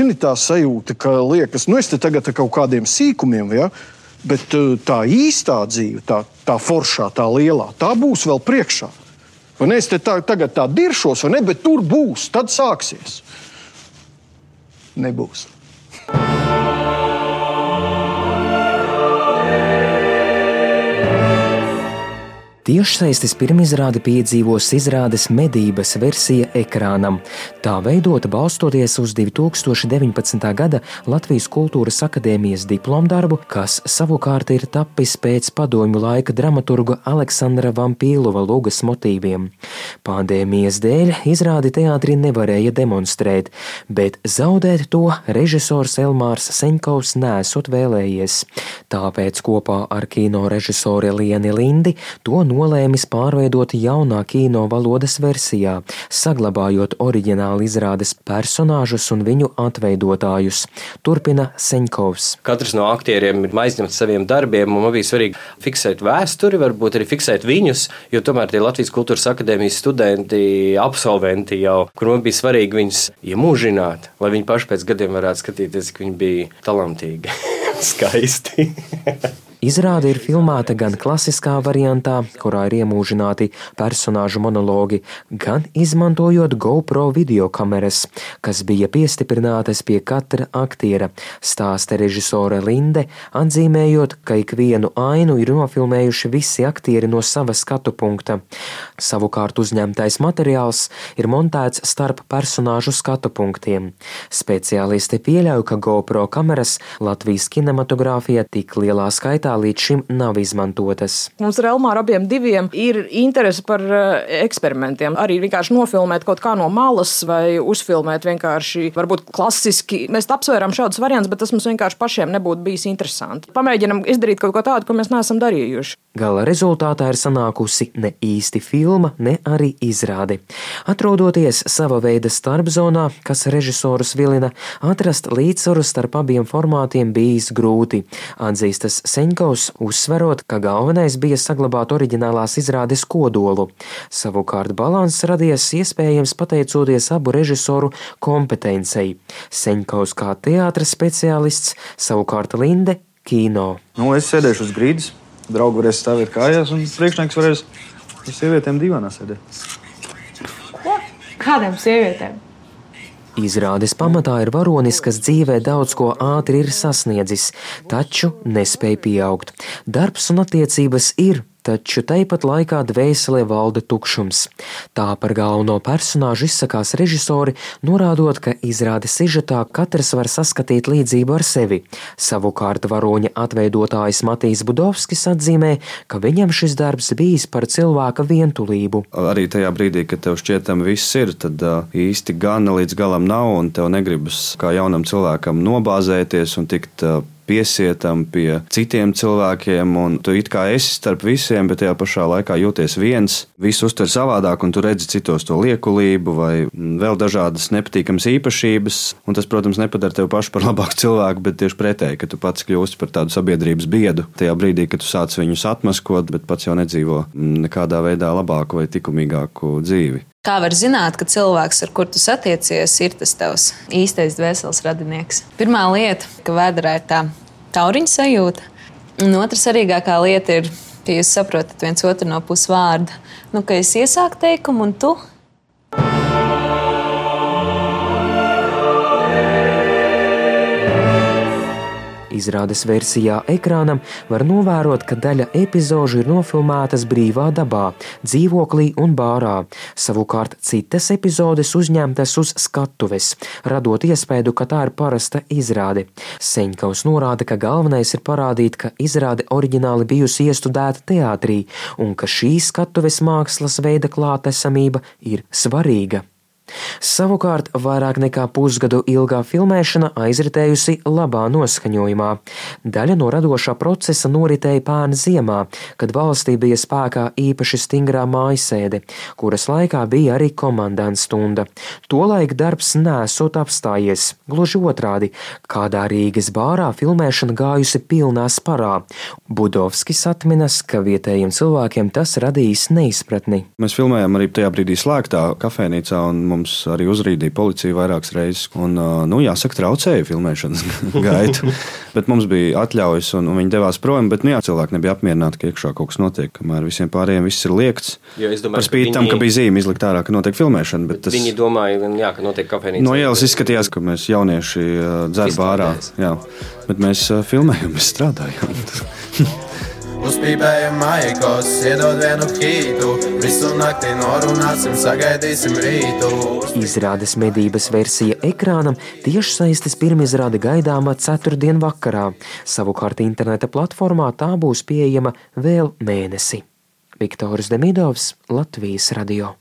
zini, tā sajūta, ka liekas, es te tagad ar kaut kādiem sīkumiem, ja? Bet tā īstā dzīve, tā foršā, tā lielā, tā būs vēl priekšā. Vai ne? Es te tagad tā diršos, vai ne? Bet tur būs, tad sāksies. Nebūs. Tiešsaistes pirmizrādi piedzīvos izrādes Medības versija ekrānam. Tā veidota balstoties uz 2019. gada Latvijas Kultūras akadēmijas diplomdarbu, kas savukārt ir tapis pēc padomju laika dramaturga Aleksandra Vampīlova lugas motīviem. Pandēmijas dēļ izrādi teātrī nevarēja demonstrēt, bet zaudēt to režisors Elmārs Seņkovs nesot vēlējies. Tāpēc kopā ar kino režisori Lieni Lindi to nolēmis pārveidot jaunā kino valodas versijā, saglabājot oriģināli izrādes personāžus un viņu atveidotājus. Turpina Seņkovs. Katrs no aktieriem ir aizņemts saviem darbiem, un man bija svarīgi fiksēt vēsturi, varbūt arī fiksēt viņus, jo tomēr tie Latvijas Kultūras akadēmijas studenti, absolventi jau, kur man bija svarīgi viņus iemūžināt, lai viņi paši pēc gadiem varētu skatīties, ka viņi bija talantīgi, skaisti. Izrāde ir filmēta gan klasiskā variantā, kurā ir iemūžināti personāžu monologi, gan izmantojot GoPro videokameras, kas bija piestiprinātas pie katra aktiera, stāsta režisore Linde, atzīmējot, ka ikvienu ainu ir nofilmējuši visi aktieri no sava skatu punkta. Savukārt uzņemtais materiāls ir montēts starp personāžu skatu punktiem. Speciālisti pieļauj, ka GoPro kameras Latvijas kinematogrāfijā tik lielā skaitā līdz šim nav izmantotas. Mums ar Elmāru abiem diviem ir interese par eksperimentiem. Arī vienkārši nofilmēt kaut kā no malas vai uzfilmēt vienkārši, varbūt klasiski. Mēs apsvērām šādus variantus, bet tas mums vienkārši pašiem nebūtu bijis interesanti. Pamēģinam izdarīt kaut ko tādu, ko mēs neesam darījuši. Gala rezultātā ir sanākusi ne īsti filma, ne arī izrāde. Atrodoties sava veida starpzonā, kas režisorus vilina, atrast līdzsvaru starp abiem formātiem bijis grūti, atzīstas Seņkovs, uzsverot, ka galvenais bija saglabāt oriģinālās izrādes kodolu. Savukārt balanss radies iespējams pateicoties abu režisoru kompetencei. Seņkovs kā teātra speciālists, savukārt Linde kino. Es sēdēšu uz grīdas, draugi varēs stāvēt kājās un priekšnieks varēs ar sievietēm divānā sēdēt. Ko? Kādām sievietēm? Izrādes pamatā ir varonis, kas dzīvē daudz ko ātri ir sasniedzis, taču nespēj pieaugt. Darbs un attiecības ir, taču tāpat laikā dvēselē valda tukšums. Tā par galveno personāžu izsakās režisori, norādot, ka izrādes sižetā katrs var saskatīt līdzību ar sevi. Savukārt varoņa atveidotājs Matīs Budovskis atzīmē, ka viņam šis darbs bijis par cilvēka vientulību. Arī tajā brīdī, kad tev šķietam viss ir, tad īsti gana līdz galam nav, un tev negribas kā jaunam cilvēkam nobāzēties un tikt piesietam pie citiem cilvēkiem, un tu it kā esi starp visiem, bet tajā pašā laikā jūties viens. Visu uztver savādāk, un tu redzi citos to liekulību vai vēl dažādas nepatīkamas īpašības, un tas, protams, nepadara tevi pašu par labāku cilvēku, bet tieši pretēji, ka tu pats kļūsti par tādu sabiedrības biedu. Tajā brīdī, kad tu sāc viņus atmaskot, bet pats jau nedzīvo nekādā veidā labāku vai likumīgāku dzīvi. Kā var zināt, ka cilvēks, ar kur tu satiecies, ir tas tavs īstais dvēseles radinieks? Pirmā lieta, ka vēderā ir tā tauriņa sajūta, un otra svarīgākā lieta ir, ka jūs saprotat viens otru no pusvārda. Ka es iesāku teikumu un tu. Izrādes versijā ekrānam var novērot, ka daļa epizožu ir nofilmētas brīvā dabā, dzīvoklī un bārā. Savukārt citas epizodes uzņemtas uz skatuves, radot iespēju, ka tā ir parasta izrāde. Seņkovs norāda, ka galvenais ir parādīt, ka izrāde oriģināli bijusi iestudēta teātrī un ka šī skatuves mākslas veida klātesamība ir svarīga. Savukārt, vairāk nekā pusgadu ilgā filmēšana aizritējusi labā noskaņojumā. Daļa no radošā procesa noritēja pērn ziemā, kad valstī bija spēkā īpaši stingrā mājasēde, kuras laikā bija arī komandants stunda. Tolaik darbs nesot apstājies, gluži otrādi, kādā Rīgas bārā filmēšana gājusi pilnā sparā. Budovskis atminas, ka vietējiem cilvēkiem tas radījis neizpratni. Mēs filmējām arī tajā brīdī slēgtā kafejnīcā, un mums mums arī uzrīdīja policija vairākas reizes. Un, jāsaka, traucēja filmēšanas gaitu. Bet mums bija atļaujas, un viņi devās prom. Bet cilvēki nebija apmierināti, ka iekšā kaut kas notiek, kamēr visiem pārējiem viss ir liekts. Par spīti tam, ka bija zīme izlikt ārā, ka notiek filmēšana. Bet viņi domāja, ka notiek kafejnīca. No ielas izskatījās, ka mēs jaunieši dzer bārā. Jā. Bet mēs filmējam, mēs strādājam. Uzpīpējam maikos, iedod vienu hītu, visu nakti norunāsim, sagaidīsim rītu. Izrādes medības versija ekrānam tiešsaistes pirmizrāde gaidāma ceturtdien vakarā. Savukārt interneta platformā tā būs pieejama vēl mēnesi. Viktors Demidovs, Latvijas radio.